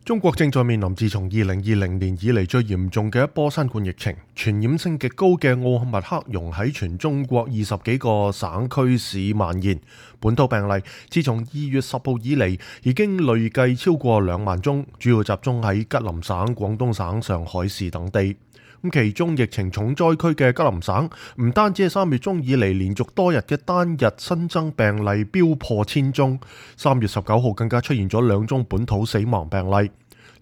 中國正在面臨自從2020年以嚟最嚴重嘅一波新冠疫情，傳染性極高嘅奧密克戎喺全中國20幾個省區市蔓延。本土病例自從2月10號以嚟已經累計超過2萬宗，主要集中喺吉林省、廣東省、上海市等地。其中疫情重災區嘅吉林省，唔單止係3月中以嚟連續多日嘅單日新增病例飆破1000宗，3月19號更加出現咗2宗本土死亡病例。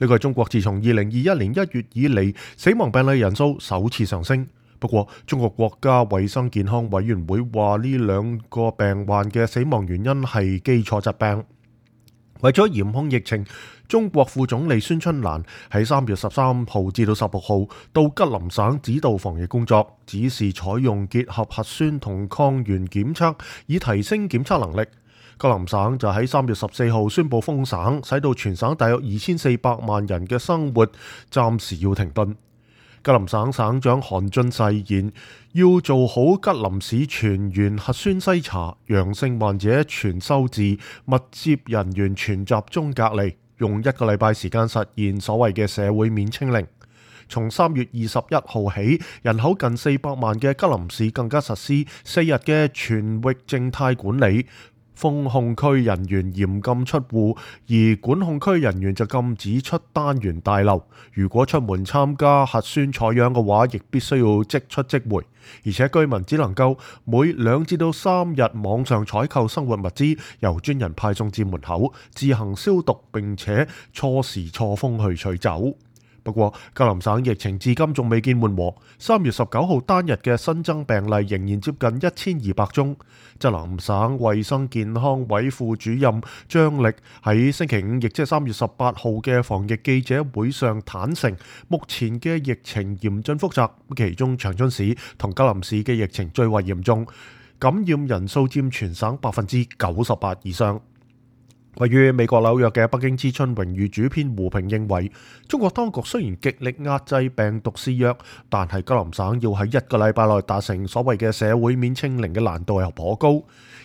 呢個係中國自從2021年1月以嚟死亡病例人數首次上升。不過，中國國家衛生健康委員會話呢2個病患嘅死亡原因係基礎疾病。為咗嚴控疫情，中國副總理孫春蘭喺3月13號至到16號到吉林省指導防疫工作，指示採用結合核酸同抗原檢測，以提升檢測能力。吉林省就喺3月14號宣布封省，使到全省大約2400萬人嘅生活暫時要停頓。吉林省省長韓俊誓言要做好吉林市全員核酸篩查，陽性患者全收治，密接人員全集中隔離，用1個禮拜時間實現所謂嘅社會面清零。從3月21號起，人口近400萬嘅吉林市更加實施4日嘅全域靜態管理。封控區人員嚴禁出戶，而管控區人員就禁止出單元大樓。如果出門參加核酸採樣嘅話，亦必須要即出即回。而且居民只能夠每2至到3日網上採購生活物資，由專人派送至門口，自行消毒並且錯時錯峰去取走。不過，吉林省疫情至今仲未見緩和。3月19號單日嘅新增病例仍然接近1200宗。吉林省衛生健康委副主任張力喺星期5，亦即係3月18號嘅防疫記者會上坦承，目前嘅疫情嚴峻複雜，其中長春市同吉林市嘅疫情最為嚴重，感染人數佔全省98%以上。位於美國紐約嘅北京之春榮譽主編胡平認為，中國當局雖然極力壓制病毒肆虐，但係吉林省要喺1個禮拜內達成所謂嘅社會面清零嘅難度又頗高，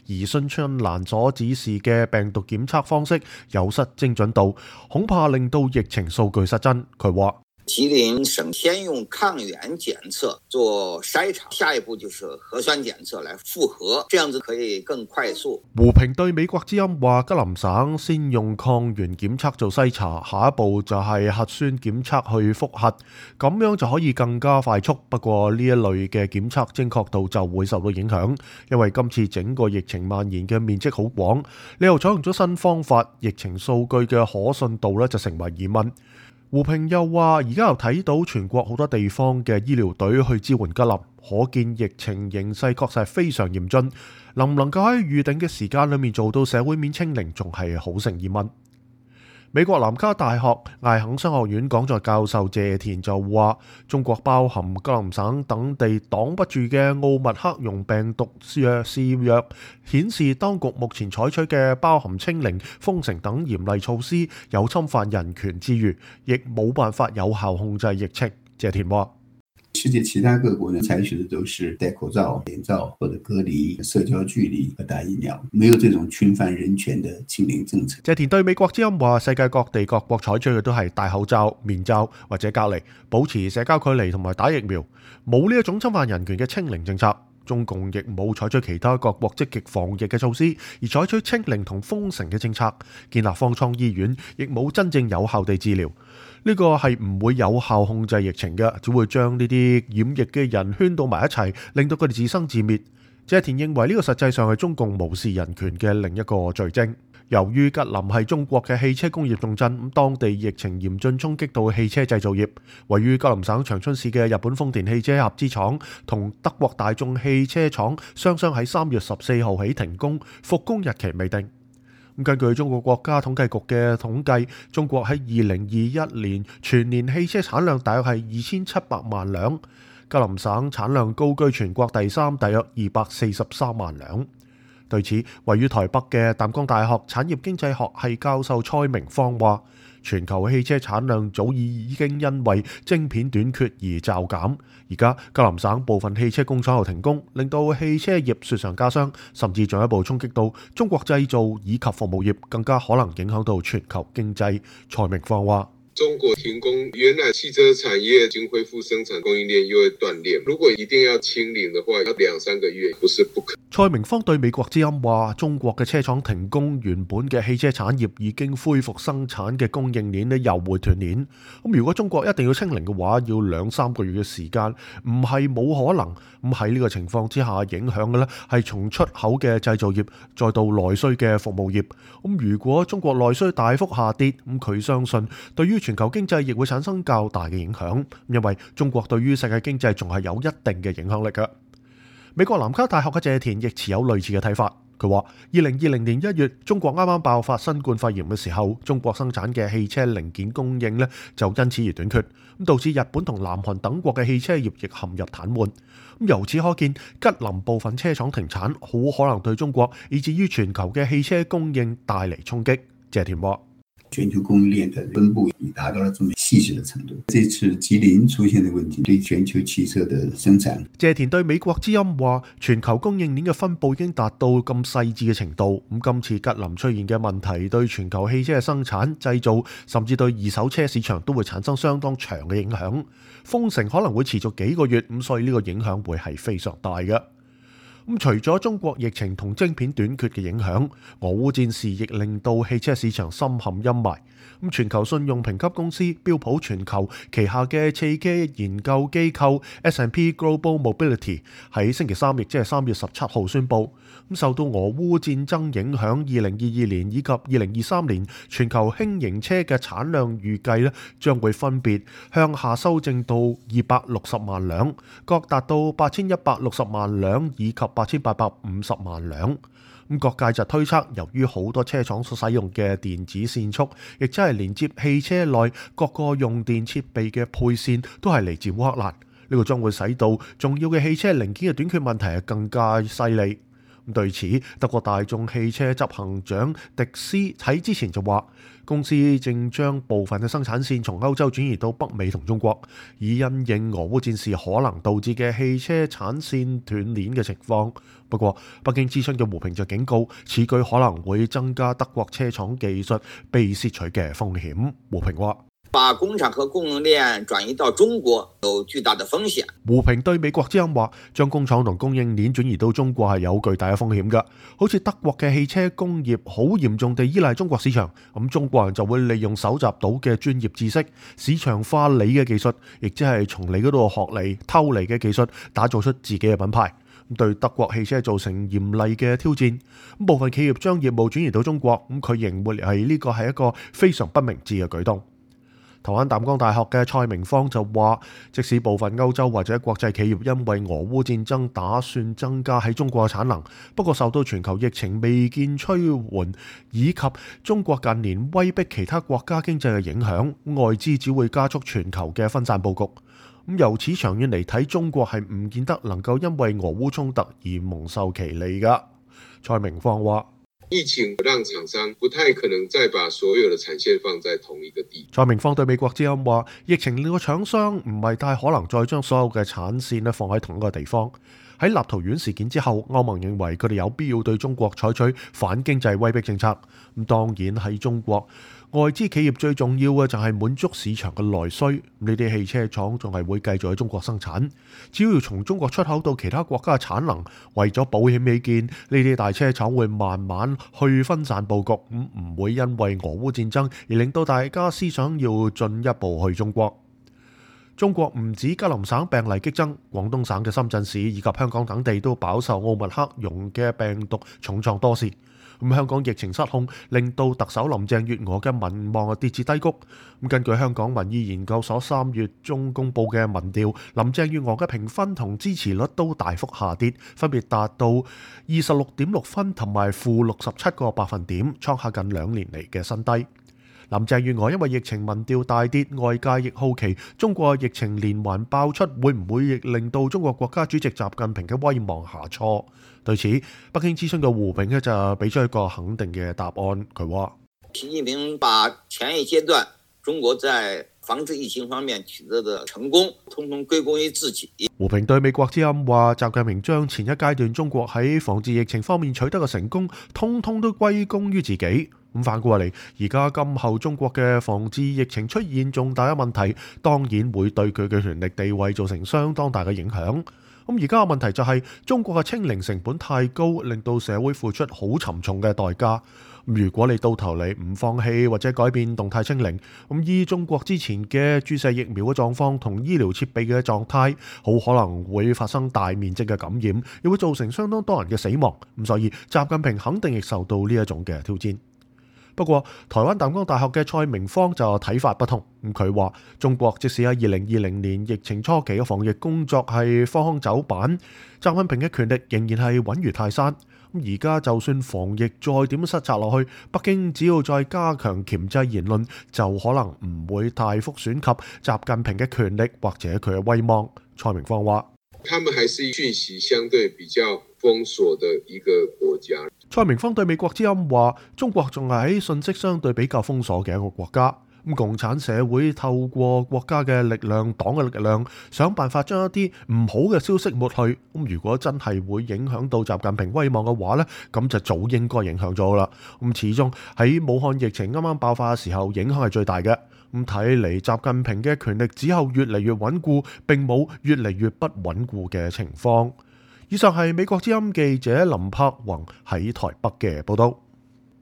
而孫春蘭所指示嘅病毒檢測方式有失精準度，恐怕令到疫情數據失真。佢話：吉林省先用抗原檢測做篩查，下一步就是核酸檢測來複核，這樣子可以更快速。胡平對美國之音話，吉林省先用抗原檢測做篩查，下一步就係核酸檢測去複核，咁樣就可以更加快速。不過呢一類嘅檢測精確度就會受到影響，因為今次整個疫情蔓延嘅面積好廣，你又採用咗新方法，疫情數據嘅可信度呢就成為疑問。胡平又話：而家又睇到全國好多地方嘅醫療隊去支援吉林，可見疫情形勢確實係非常嚴峻。能唔能夠喺預定嘅時間裏面做到社會面清零，仲係好成疑問。美國南加大學艾肯商學院講座教授謝田就話：中國包含吉林省等地擋不住嘅奧密克戎病毒肆虐，顯示當局目前採取嘅包含清零、封城等嚴厲措施有侵犯人權之餘，亦冇辦法有效控制疫情。謝田話：世界其他各國呢，採取的都是戴口罩、臉罩或者隔離、社交距離和打疫苗，沒有這種侵犯人權的清零政策。謝田對美國之音話：世界各地各國採取嘅都係戴口罩、面罩或者隔離，保持社交距離同埋打疫苗，冇呢一種侵犯人權嘅清零政策。中共亦冇採取其他各國積極防疫嘅措施，而採取清零同封城嘅政策，建立方艙醫院，亦冇真正有效地治療。呢個係唔會有效控制疫情嘅，只會將呢啲染疫嘅人圈到埋一齊，令到佢哋自生自滅。謝田認為呢個實際上係中共無視人權嘅另一個罪證。由於吉林係中國嘅汽車工業重鎮，當地疫情嚴峻衝擊到汽車製造業。位於吉林省長春市嘅日本豐田汽車合資廠同德國大眾汽車廠雙雙喺3月14號起停工，復工日期未定。根據中國國家統計局嘅統計，中國喺2021年全年汽車產量大約係2700萬輛，吉林省產量高居全國第3，大約243萬輛。對此，位於台北嘅淡江大學產業經濟學系教授蔡明芳話：全球汽車產量早已經因為晶片短缺而驟減，而家吉林省部分汽車工廠又停工，令到汽車業雪上加霜，甚至進一步衝擊到中國製造以及服務業，更加可能影響到全球經濟。蔡明芳話：中國停工，原來汽車產業已經恢復生產，供應鏈又會斷裂。如果一定要清零的話，要2-3個月，不是不可。蔡明芳對美國之音話：中國嘅車廠停工，原本嘅汽車產業已經恢復生產嘅供應鏈又會斷鏈。咁如果中國一定要清零嘅話，要2-3個月嘅時間，唔係冇可能。咁喺呢個情況之下，影響嘅呢係從出口嘅製造業，再到內需嘅服務業。咁如果中國內需大幅下跌，咁佢相信對於全球經濟亦會產生較大嘅影響，因為中國對於世界經濟仲係有一定嘅影響力嘅。美國南卡大學嘅謝田亦持有類似嘅睇法，佢話：2020年1月，中國啱啱爆發新冠肺炎嘅時候，中國生產嘅汽車零件供應呢就因此而短缺，咁導致日本同南韓等國嘅汽車業亦陷入癱瘓。咁由此可見，吉林部分車廠停產，好可能對中國以至於全球嘅汽車供應帶嚟衝擊。謝田話：全球供應鏈的分布已達到了這麼細緻的程度。這次吉林出現的問題，對全球汽車的生產。謝田對美國之音話：全球供應鏈嘅分布已經達到咁細緻嘅程度。咁今次吉林出現嘅問題，對全球汽車嘅生產、製造，甚至對二手車市場都會產生相當長嘅影響。封城可能會持續幾個月，咁所以呢個影響會係非常大嘅。咁除咗中國疫情同晶片短缺嘅影響，俄烏戰事亦令到汽車市場深陷陰霾。咁全球信用評級公司標普全球旗下嘅汽車研究機構 S&P Global Mobility 喺星期三，亦即係3月17號宣布，咁受到俄烏戰爭影響，2022年以及2023年全球輕型車嘅產量預計咧，將會分別向下修正到260萬輛，各達到8160萬輛以及8850萬輛。咁各界就推測，由於好多車廠所使用嘅電子線束，亦即係連接汽車內各個用電設備嘅配線，都係嚟自烏克蘭。呢個將會使到重要嘅汽車零件嘅短缺問題係更加犀利。對此，德國大眾汽車執行長迪斯喺之前就話，公司正將部分嘅生產線從歐洲轉移到北美同中國，以因應俄烏戰事可能導致嘅汽車產線斷鏈嘅情況。不過，北京諮詢嘅胡平就警告，此舉可能會增加德國車廠技術被竊取嘅風險。胡平話：把工廠和供應鏈轉移到中國有巨大的風險。胡平對美國之音話，將工廠同供應鏈轉移到中國係有巨大嘅風險㗎。好似德國嘅汽車工業好嚴重地依賴中國市場，咁中國人就會利用搜集到嘅專業知識、市場化你嘅技術，亦即係從你嗰度學嚟偷嚟嘅技術，打造出自己嘅品牌，對德國汽車造成嚴厲嘅挑戰。部分企業將業務轉移到中國，佢認為係呢個係一個非常不明智嘅舉動。台灣淡江大學嘅蔡明芳就話，即使部分歐洲或者國際企業因為俄烏戰爭打算增加喺中國嘅產能，不過受到全球疫情未見趨緩，以及中國近年威逼其他國家經濟嘅影響，外資只會加速全球嘅分散佈局。由此長遠嚟睇，中國係唔見得能夠因為俄烏衝突而蒙受其利㗎。蔡明芳話：疫情讓廠商不太可能再把所有的產線放在同一個地。蔡明芳對美國之音話：疫情令到廠商唔係太可能再將所有嘅產線放喺同一個地方。喺立陶宛事件之後，歐盟認為佢哋有必要對中國採取反經濟威逼政策。咁當然喺中國，外資企業最重要嘅就係滿足市場嘅內需。呢啲汽車廠仲係會繼續喺中國生產，只要從中國出口到其他國家嘅產能，為咗保險起見，呢啲大車廠會慢慢去分散佈局，唔會因為俄烏戰爭而令到大家思想要進一步去中國。中國唔止吉林省病例激增，廣東省嘅深圳市以及香港等地都飽受奧密克戎嘅病毒重創多時。香港疫情失控，令到特首林鄭月娥嘅民望跌至低谷。根據香港民意研究所3月中公布嘅民調，林鄭月娥嘅評分同支持率都大幅下跌，分別達到26.6分同埋-67個百分點，創下近2年嚟嘅新低。林鄭月娥因為疫情民調大跌，外界亦好奇中國疫情連環爆出，會唔會亦令到中國國家主席習近平嘅威望下挫？對此，北京諮詢嘅胡炳就俾出一個肯定嘅答案。佢話：習近平把前一階段中國在防治疫情方面取得的成功，通通歸功於自己。胡平對美國之音話，習近平將前一階段中國喺防治疫情方面取得嘅成功，通通都歸功於自己。咁反過嚟，而家今後中國嘅防治疫情出現重大嘅問題，當然會對佢嘅權力地位造成相當大嘅影響。咁而家嘅問題就係中國嘅清零成本太高，令到社會付出好沉重嘅代價。如果你到頭嚟唔放棄或者改變動態清零，咁依中國之前嘅注射疫苗嘅狀況同醫療設備嘅狀態，好可能會發生大面積嘅感染，亦會造成相當多人嘅死亡。咁所以習近平肯定亦受到呢一種嘅挑戰。不過，台灣淡江大學嘅蔡明芳就睇法不同。佢話：中國即使喺2020年疫情初期嘅防疫工作係荒腔走板，習近平嘅權力仍然係穩如泰山。而家就算防疫再點失策落去，北京只要再加強鉗制言論，就可能唔會大幅損及習近平嘅權力或者佢嘅威望。蔡明芳話：他們還是訊息相對比較封鎖的一個國家。蔡明芳對美國之音話：中國仲係喺信息相對比較封鎖嘅一個國家。共產社會透過國家嘅力量、黨嘅力量，想辦法將一啲唔好嘅消息抹去。如果真係會影響到習近平威望嘅話呢，咁就早應該影響咗啦。始終喺武漢疫情啱啱爆發嘅時候，影響係最大嘅。睇嚟習近平嘅權力只有越嚟越穩固，並冇越嚟越不穩固嘅情況。以上係美國之音記者林柏宏喺台北嘅報道。